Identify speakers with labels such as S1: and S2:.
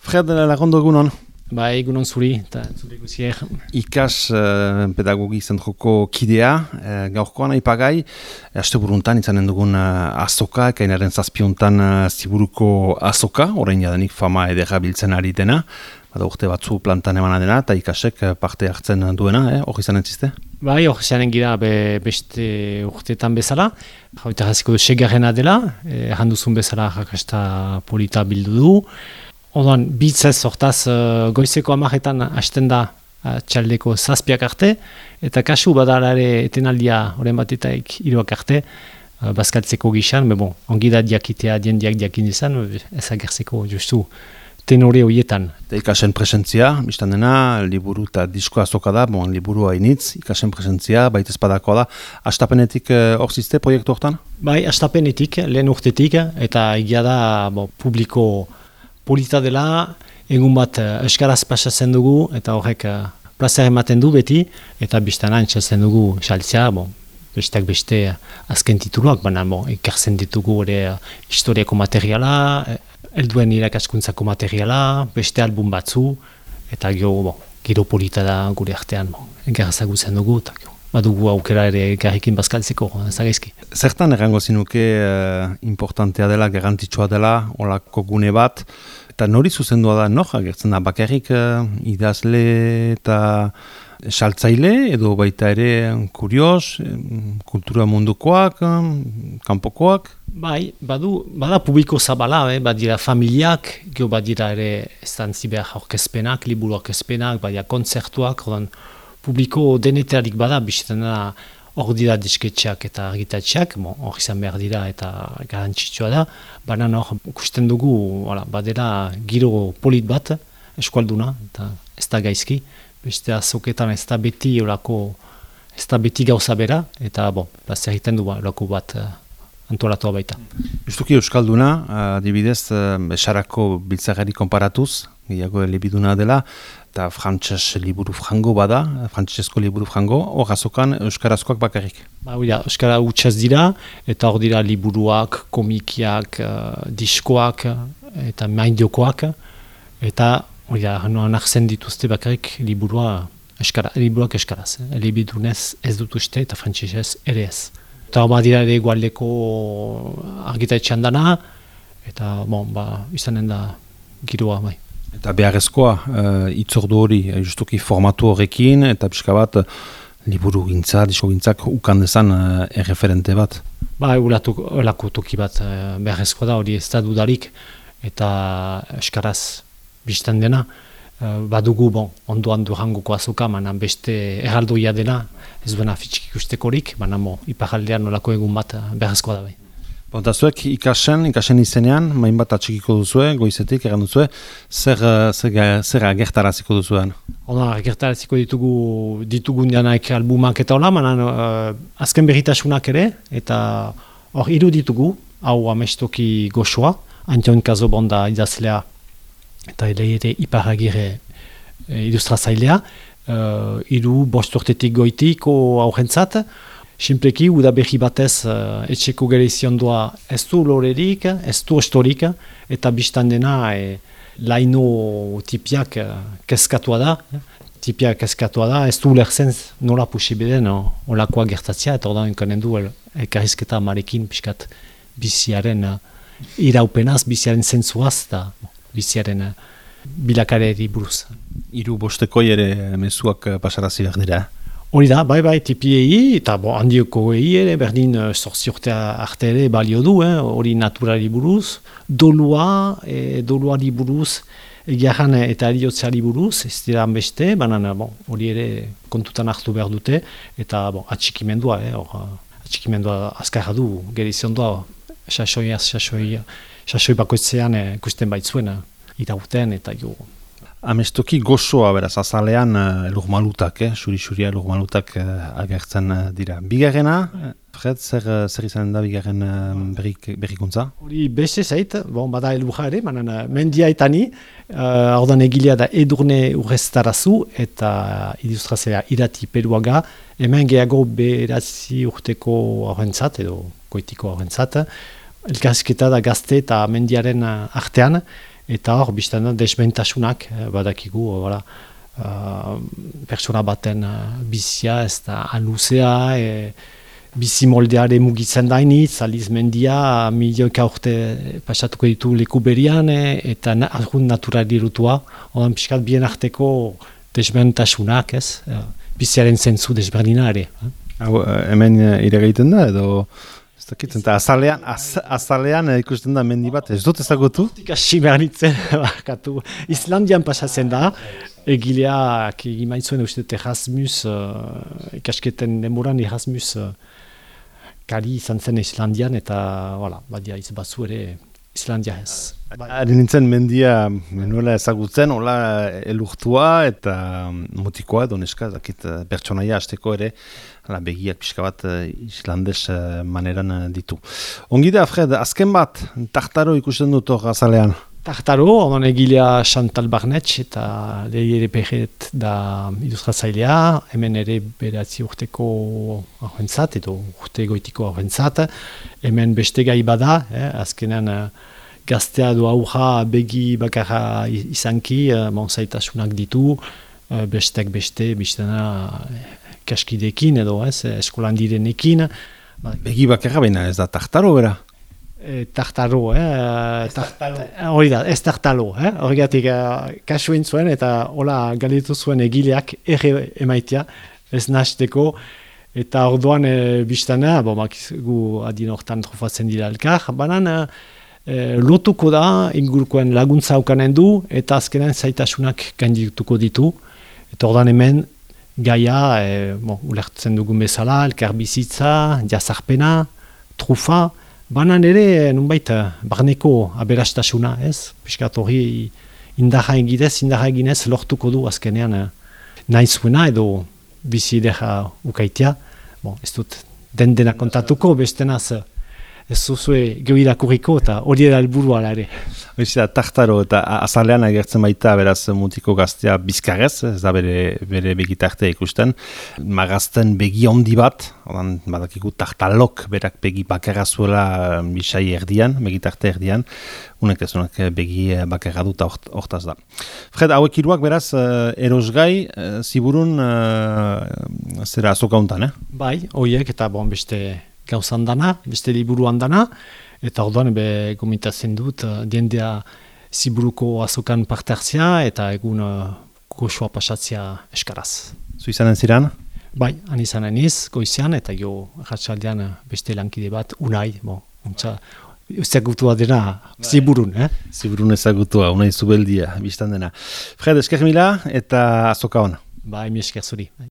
S1: Fred, lagondo egunon.
S2: Ba, egunon zuri, eta zuri guzier.
S1: Ikas pedagogi zentroko kidea, gaurkoan aipagai, asteburuntan izanen dugun azoka, ekainaren zazpiontan ziburuko azoka, orain jadanik fama edera biltzen ari dena, bada urte batzu plantan emana dena, eta ikasek parte hartzen duena, hori izan entziste?
S2: Bai, hori zanen gira beste urteetan bezala, eta hasiko du segarrena dela, erranduzun bezala jakasta polita bildu du. Ondoan, bitzez hortaz goizeko 10etan hasten da txaldeko 7 arte, eta kasu badala ere etenaldia horren batetaik 3 arte, bazkaltzeko gixan, ongi da diakitea, diendiak diakin izan, ezagertzeko justu tenore horietan.
S1: Eta ikasen presentzia, biztan dena, liburu eta disko azoka da, liburu hainitz, ikasen presentzia, baita espadakoa da. Astapenetik hor ziste proiektu hortan?
S2: Bai, astapenetik, lehen urtetik, eta egia da publiko polita dela, egun bat euskaraz pasatzen dugu, eta horrek plazer ematen du beti, eta biztana entzatzen dugu saltzea, besteak beste azken tituluak, baina ikertzen ditugu ere historiako materiala, helduen irakaskuntzako materiala, beste album batzu, eta gero polita da gure artean, engarrazagutzen dugu, eta badugu aukera ere garrikin bazkaltzeko, zagaizki.
S1: Zertan errango zinuke importantea dela, garrantzitsua dela, olako gune bat, eta nori zuzendua da, agertzen da, bakarrik idazle eta saltzaile, edo baita ere kurios, kultura mundukoak, kanpokoak?
S2: Bai, bada publiko zabala, badira familiak, gero badira ere estantzi behar orkezpenak, liburu orkezpenak, badira kontzertuak, publiko denetarik bada, bizitzen da hor dira disketxeak eta argitatxeak, hor izan behar dira eta garantzitsua da, baina hor ikusten dugu, badera giro polit bat, eskualduna, eta ez da gaizki, beste azoketan ez da beti gauza bera, eta zer egiten du olako bat antolatua baita.
S1: Justuki euskalduna, adibidez, esarako biltzagari konparatuz, gehiago elebiduna dela, eta frantses liburu frango bada, frantsesko liburu frango, hor azokan euskarazkoak bakarrik.
S2: Euskara hutsaz dira, eta hor dira liburuak, komikiak, diskoak, eta maindiokoak, eta nartzen dituzte bakarrik liburuak eskaraz. Elebidunez ez dut uste, eta frantsesez ere ez. Eta badira ere egualdeko argitaletxean dana, eta izanen da giroa bai.
S1: Eta beharrezkoa, itzordu hori, justuki formatu horrekin, eta pixka bat, liburu gintza, disko gintzak ukan dezan erreferente bat.
S2: Olako toki bat beharrezkoa da, hori ez da dudarik, eta eskaraz biztan dena, badugu ondoan durangoko azoka, manan beste erraldoia dena, ez duena fitxik ikustekorik, manan iparaldean olako egun bat beharrezkoa da bai.
S1: Eta zuek ikasen izenean, main bat atxikiko duzue, goizetik, egan duzue, zer agertaraziko duzuean?
S2: Agertaraziko ditugun janaik albumak eta hola, manan azken berritasunak ere, eta hor hiru ditugu, hau amestoki goxoa, Antion Kazobonda idazlea, eta ere iparagire illustrazailea, hiru bost urtetik goitiko aurrentzat, Simpleki, udaberri batez etxeko gereiziondoa ez du lorerik, ez du ostorik, eta biztan dena laino tipiak keskatua da. Tipiak keskatua da, ez du ulertzen nola posibeden olakoa gertatzea, eta ordan enkanen du elkarrizketa marekin pixkat biziaren iraupenaz, biziaren zentzuaz, eta biziaren bilakareri buruz.
S1: Hiru bostekoi ere mezuak pasarazi behar dira.
S2: Hori da, bai, tipiei, eta handioko ere, berdin 8 urte arte ere balio du, hori naturali buruz, doluari buruz, egiaran eta eriotzeari buruz, ez dira beste, baina hori ere kontutan hartu behar dute, eta atxikimendua, atxikimendua azkarra du, geriziondoa, sasoi bakoitzean ikusten baitzuen, irauten eta jo.
S1: Amestoki gozoa beraz, azalean elurmalutak, xuri-xuria elurmalutak agertzen dira. Bigarrena, Fred, zer izan da bigarren berrikuntza?
S2: Hori beste zait, bada elurra ere, mendia etani, ordan egilea da Edurne Urreztarazu eta ilustrazioa Irati Peruaga, hemen gehiago beratzi urteko horrentzat, edo goitiko horrentzat, elkarrizketa da gazte eta mendiaren artean, eta hor, biztan da, desbentasunak, badakigu, pertsona baten bizia, ez da aluzea, bizi moldeare mugitzen dainitz, aliz mendia, milioika urte pasatuko ditu leku berian, eta argun naturalirutua, odan pixkat bien arteko desbentasunak, ez? Biziaren zentzu desberdina ere.
S1: Hemen iregaiten da, edo... Eta azalean ikusten da mendi bat, ez dut ezagutu?
S2: Ikasi behar nintzen, bakatu. Islandian pasatzen da, egileak egimaitzuen uste Erasmus, ikasketen demoran Erasmus kari izan zen Islandian, eta badia izbatzu ere Islandia ez.
S1: Ari nintzen mendia menuela ezagutzen, hola elurtua eta mutikoa edo neska, pertsonaia hasteko ere, begiak pixka bat islandes maneran ditu. Ongi da, Fred, azken bat, Tartaro ikusten dut hor azalean?
S2: Tartaro, onan egilea Chantal Barnetx eta Leire Perret da ilustratzailea, hemen ere beratzi urteko aurrentzat edo urte goitiko aurrentzat, hemen beste gai bada, azkenan gaztea edo aurra begi bakarra izanki, zaitasunak ditu, bestek beste, biztena kaskidekin edo eskolan direnekin.
S1: Begi bakarra baina ez da Tartaro bera?
S2: Tartaro, hori da, ez Tartalo, horregatik kasuen zuen eta hola galetu zuen egileak erre emaitia, ez nahasteko, eta orduan biztana, gu adin hortan trofatzen dira elkar, banan lotuko da ingurukoen laguntza aukanen du eta azkenan zaitasunak gaindituko ditu, eta orduan hemen gaia, ulertzen dugun bezala, elkar bizitza, jazarpena, trufa, banan ere, nunbait, barneko aberastasuna, ez? Piskat hori indarra eginez lortuko du azkenean nahi zuena edo bizi idea ukaitea. Ez dut dena kontatuko, bestenaz ez zuzue gehiakuriko eta hori da helburua ere.
S1: Tartaro eta azalean agertzen baita beraz mutiko gaztea bizkarrez, ez da bere begitartea ikusten. Magazten begi handi bat, badakiku Tartalok berak begi bakarra zuela bisai erdian, begitarte erdian, unek ez unek begi bakarra dut hortaz da. Fred, hauek hiruak beraz erosgai, ziburun zera azoka hontan,
S2: Bai, horiek eta beste gauzan dana, beste liburuan dana, eta orduan gomitatzen dut diendea ziburuko azokan parte hartzea eta egun goxoa pasatzea eskaraz.
S1: Zu izanen ziren?
S2: Bai, han izanen iz, goizean, eta ratxaldean beste lankide bat, unai, ezagutua dena ziburun,
S1: Ziburun ezagutua, unai zubeldia, biztan dena. Fred, esker mila eta azoka hona.
S2: Bai, mi esker zuri.